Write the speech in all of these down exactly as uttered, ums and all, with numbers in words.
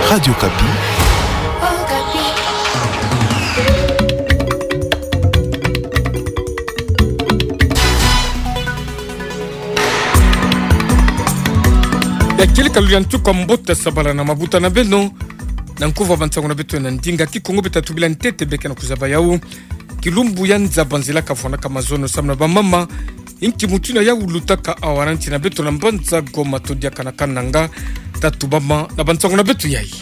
Radio Okapi. Ya kieleka luyantu kwa mbote, sabala na mabuta na beno. Na nkuva bansango na beto na ndinga Kikongo, beta tubila ntete beke na kuzaba yau. Kilumbu ya nza banzila kafwana ka mazono samu na bamama. Inki mutindu ya ulutaka awa na nti na beto na mbanza Goma to diaka na Kananga. Ta tubama na bansango na beto yayi.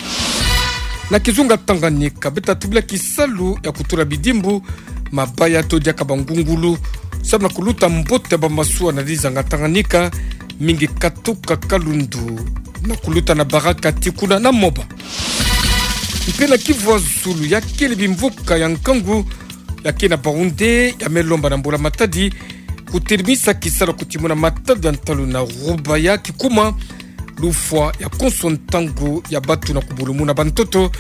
Na kizunga Tanganyika, beta tubila kisalu ya kutula bidimbu, mabaya to diaka bangungulu, samu na kuluta mbote ya bamasuwa na dizanga Tanganyika, mingi katuka Kalundu, na kuluta na Baraka tii kuna na Moba. Mpe na Kivu ya Zulu, ya kele bimvuka ya nkangu, ya ke na Baoundé, ya me lomba na mbula matadi, kutelimisa kisalu ya kutimuna matadi ya ntalu na Rubaya, kikuma lufwa ya konso ntangu ya batu na kubulumuna bantoto.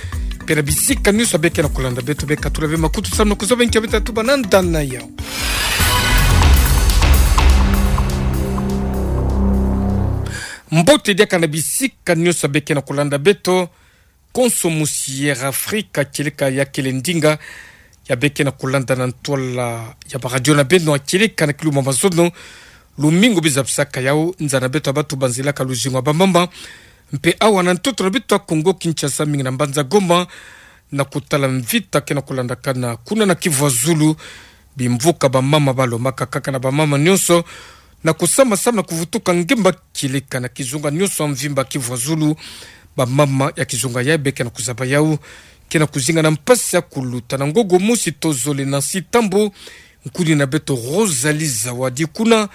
Mpe na bisika nyonso beke na kulanda beto, beka tula be makutu samu na kuzaba inki beta tuba na ndana yau. Mbote diaka na bisika nyonso beke na kulanda beto. Konso musi Air Afrique, kieleka ya kele ndinga ya beke na kulanda na ntwala ya baradio na beno, kieleka na kilumbu ya mazono, lumingu bizabisaka yau nza na beto ya batu banzilaka luzingu ya bamama. Mpe awa na ntoto na beto ya Kongo Kinshasa, mingi na mbanza Goma, na kutala mvita ke na kulandakana kuna na Kivu ya Zulu, bimvuka bamama balomaka kaka na bamama nyonso, na kusama samu na kuvutuka ngemba, kieleka na kizunga nyonso ya mvimba Kivu ya Zulu. Bamama ya kizunga yayi beke na kuzaba yau ke na kuzinga na mpasi ya kuluta na ngongo mosi to zole. Nancy Tambo, nkuni na beto Rosalie Zawadi kuna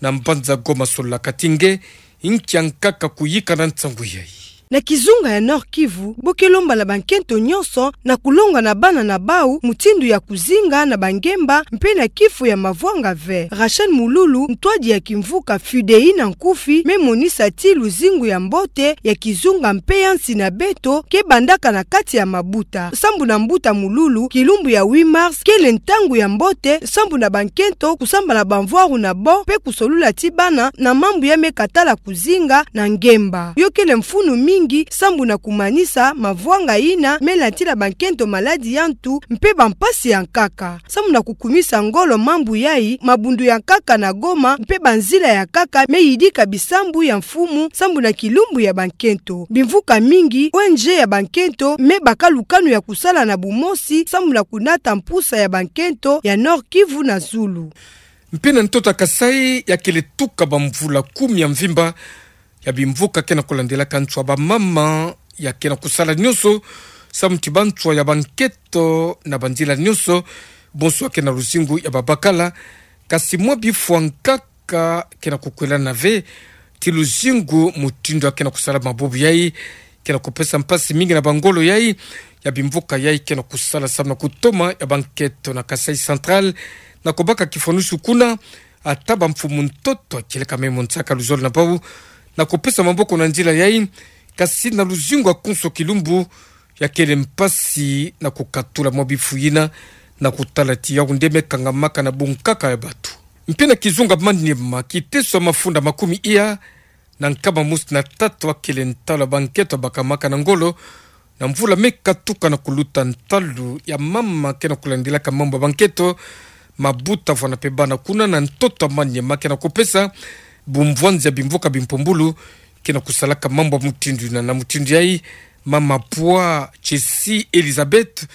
na mbanza Goma, sololaka ti nge inki ya nkaka kuyika na nsangu yayi. Na kizunga ya Nord-Kivu, bo ke lomba na bankento nyonso na kulonga na bana na bau mutindu ya kuzinga na bangemba mpe na kifu ya mavwanga vert. Rachel Mululu, ntwadi ya kimvuka Fudei na nkufi, me monisa ti luzingu ya mbote ya kizunga mpe ya nsi na beto ke bandaka na kati ya mabuta. Sambu na mbuta Mululu, kilumbu ya huit mars kele ntangu ya mbote sambu na bankento kusambana bamvwaru na bo mpe kusolula ti bana na mambu ya me katala kuzinga na ngemba. Yo kele mfunu mingi sambu na kumanisa mavwanga yina me latila bankento maladi ya ntu mpe bampasi ya nkaka. Sambu na kukumisa ngolo mambu yayi, mabundu ya nkaka na Goma mpe banzila ya nkaka me yidika bisambu ya mfumu sambu na kilumbu ya bankento. Bimvuka mingi, O N G ya bankento, me baka lukanu ya kusala na bumosi sambu na kunata mpusa ya bankento ya Nord-Kivu na Zulu. Mpe na ntoto ya Kasaï, ya kele tuka bamvula kumi ya mvimba ya bimvuka ke na kulandilaka nswa bamama ya ke na kusala nyonso samu ti banswa ya bankento na banzila nyonso, bonso ya ke na luzingu ya babakala. Kasi mwa bifwa nkaka ke na kukwelana ve ti luzingu mutindu ya ke na kusala mabubu yayi, ke na kupesa mpasi mingi na bangolo yayi ya bimvuka yayi ke na kusala samu na kutoma ya bankento na Kasaï Central na kubaka kifwanusu kuna. Ata bamfumu ntoto, kieleka me mo nsaka luzolo na bau, na kupesa maboko na nzila yayi, kasi na luzingu ya konso kilumbu ya kele mpasi na kukatula mwa bifu yina, na kutala ti yau nde me kangamaka na bunkaka ya batu. Mpe na kizunga Maniema, kiteso ya mafunda makumi iya na nkama mosi na tatu ya kele ntalu ya bankento bakamaka na ngolo, na mvula me katuka na kuluta ntalu ya mama ke na kulandilaka mambu ya bankento, mabuta vwana mpe bana kuna na ntoto ya Maniema ke na kupesa bumvwanzi ya bimvuka bimpumbulu ke na kusalaka mambu ya mutindu yina. Na mutindu yayi, mama Pwa Jessie Elizabeth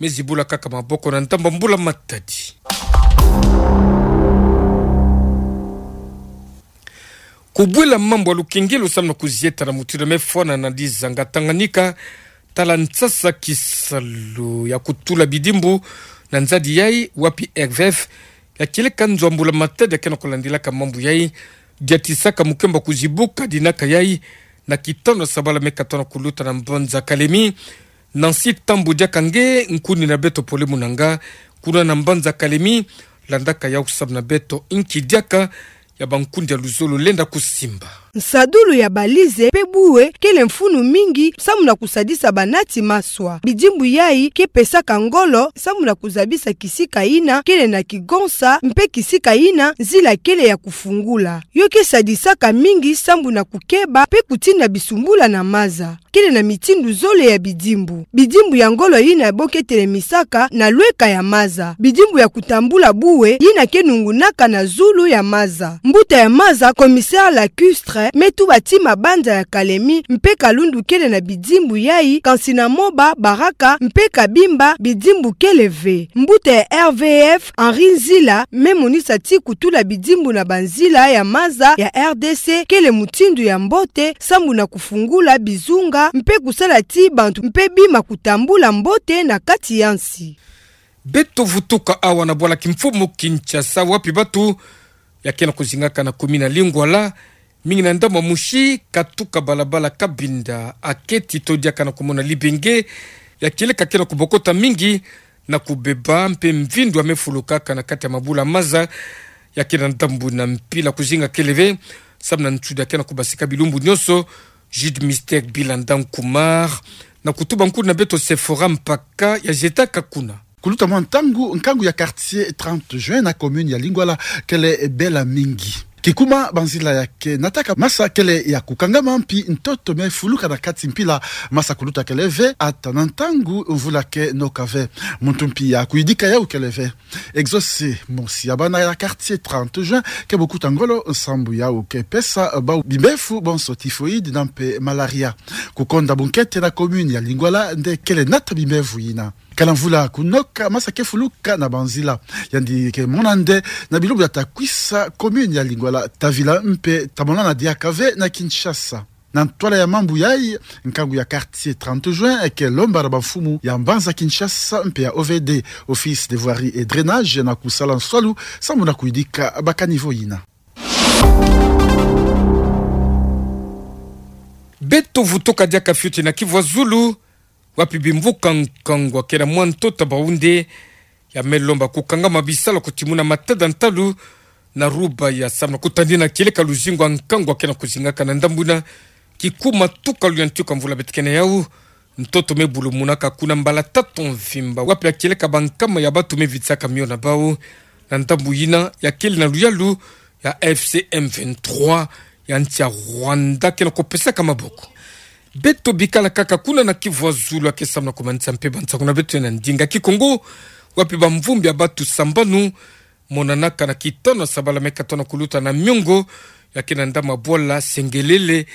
me zibula kaka maboko na ndambu ya mbula matadi. Kubwela mambu ya lukengelo samu na kuzieta na mutindu me fwana na dizanga Tanganyika, tala nsasa kisalu ya kutula bidimbu na nzadi yayi, wapi R V F, ya kieleka nzo ya mbula matadi ya ke na kulandilaka mambu yayi, diatisaka mukembo kuzibuka dinaka yayi, na kitano ya sabala me katona kuluta na mbanza Kalemi. Nancy Tambo diaka nge, nkuni na beto pole munanga kuna na mbanza Kalemi, landaka yau samu na beto inki diaka ya bankundi ya luzolo lenda kusimba. Nsadulu ya balize mpe bue kele mfunu mingi sambu na kusadisa banati maswa. Bidimbu yai ke pesaka ngolo sambu na kuzabisa kisika yina kele na kigonsa mpe kisika yina nzila kele ya kufungula. Yo ke sadisaka mingi sambu na kukeba mpe kutinda bisumbula na maza. Kele na mitindu zole ya bidimbu. Bidimbu ya ngolo yina bo ke telemisaka na lweka ya maza. Bidimbu ya kutambula bue yina ke nungunaka na zulu ya maza. Mbuta ya maza, commissaire lacustre, me tuba ti mabanza ya Kalemi mpe Kalundu kele na bidimbu yai, kansi na Moba, Baraka mpe Kabimba bidimbu kele ve. Mbuta ya R V F, Henri Nzila, me monisa ti kutula bidimbu na banzila ya maza ya R D C kele mutindu ya mbote sambu na kufungula bizunga mpe kusala ti bantu mpe bima kutambula mbote na kati ya nsi. Beto vutuka awa na bwala kimfumu Kinshasa, wapi batu ya ke na kuzingaka na commune ya Lingwala, mingi na ndambu ya mosi, katuka balabala Cabinda, aketi to diaka na kumona libenge ya kieleka ke na kubokota mingi na kubeba mpe mvindu ya me fulukaka na kati ya mabula maza ya ke na ndambu na mpila. Kuzinga kele ve sambu na nsuda ke na kubasika bilumbu nyonso. Jude Mystère Bilanda Nkumar na kutuba nkulu na beto Sephora Mpaka ya jetaka kuna. Kuluta mwa ntangu, nkangu ya quartier trente juin na commune ya Lingwala kele bela mingi. Kikuma banzila ya ke nataka masa kele ya kukangama mpi ntoto me fuluka na kati mpila. Masa kuluta kele ve ata na ntangu mvula ke noka ve. Muntu mpi ya kuyidika yau kele ve. Exaucé, mosi ya bana ya quartier trente juin, ke bokuta ngolo nsambu yau ke pesa bau bimbefu bonso typhoïde na mpe malaria. Kukonda bunkete na commune ya Lingwala nde kele nata bimbefu yina. Kala mvula kunoka, masa ke fuluka na banzila. Yandi ke mona nde na bilumbu ya ta kwisa commune ya Lingwala ta vila mpe ta monana diaka ve na Kinshasa. Na ntwala ya mambu yai, nkangu ya quartier trente juin ke lomba na bamfumu ya mbanza Kinshasa mpe ya O V D, Office de Voirie et Drainage, na kusala nswalu sambu na kuyidika ba caniveau yina. Beto vutuka diaka fioti na Kivu ya Zulu, wapi bimvuka nkangu ya ke na mwa ntoto ya bawu nde ya me lomba kukangama bisalu ya kutimuna matada ntalu na Rubaya sambu na kutandina kieleka luzingu ya nkangu ya ke na kuzingaka na ndambu yina. Kikuma tuka luyantika mvula beto ke na yau, ntoto me bulumunaka kuna mbala tatu mvimba, wapi ya kieleka bankama ya batu me vitisaka mio na bau na ndambu yina ya kele na luyalu ya F C M vingt-trois ya nsi ya Rwanda ke na kupesaka maboko. Beto bikala kaka kuna na Kivu ya Zulu, ya ke sambu na kumanisa mpe bansangu na beto na ndinga Kikongo, wapi bamvumbi ya batu sambanu monanaka na kitano ya sabala me katono kuluta na miongo ya ke na ndambu ya bwala Sengelele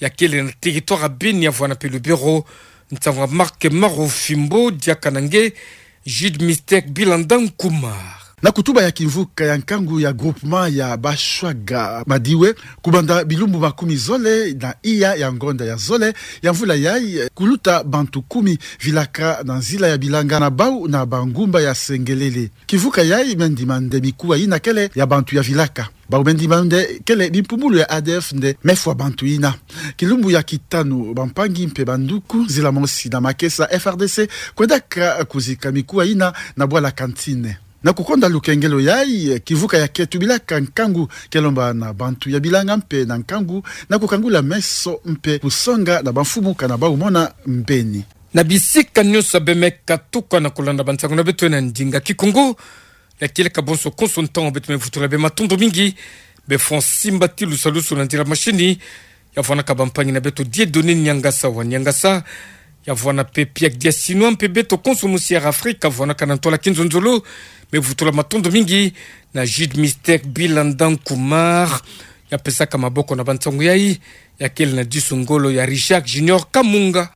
ya kele na territoire ya Beni, ya vwanda mpe Lubero. Nsangu ya Marc Marufimbo diaka na nge Jude Mystère Bilanda Nkumar. Na kutuba ya kimvuka ya nkangu ya groupement ya Bashwaga Madiwe, kubanda bilumbu makumi zole na iya ya ngonda ya zole ya mvula yai, kuluta bantu kumi vilaka na nzila ya bilanga na bau na bangumba ya Sengelele. Kimvuka yai me ndima nde mikuwa yina kele ya bantu ya vilaka. Bau me ndima nde kele bimpumbulu ya A D F nde me fwa bantu yina. Kilumbu ya kitanu, bampangi mpe banduku, nzila mosi na makesa F R D C kwendaka kuzika mikuwa yina na bwala Kantine. Na kukonda lukengelo yai, kimvuka ya ke tubilaka nkangu ke lomba na bantu ya bilanga mpe na nkangu na kukangula meso mpe kusonga na bamfumu kana bau mona mbeni. Na bisika nyonso ya bemeka tuka na kulanda bansangu na beto na ndinga Kikongo, ya kieleka bonso konso ntangu beto me vutula bê matondo mingi. Bê Francis Mbati Lusalusu na nzila mashini, ya vwanaka bampangi na beto Dieudonné Niangasa wa Niangasa, ya vwana mpe Pierre Diasinois mpe beto konso mosi Air Afrique ya vwanaka na ntwala kinzonzolo, me vutula matondo mingi na Jude Mystère Bilanda Nkumar, ya pesaka maboko na bansangu yai, ya kele na disu ngolo ya Richard Junior Kamunga.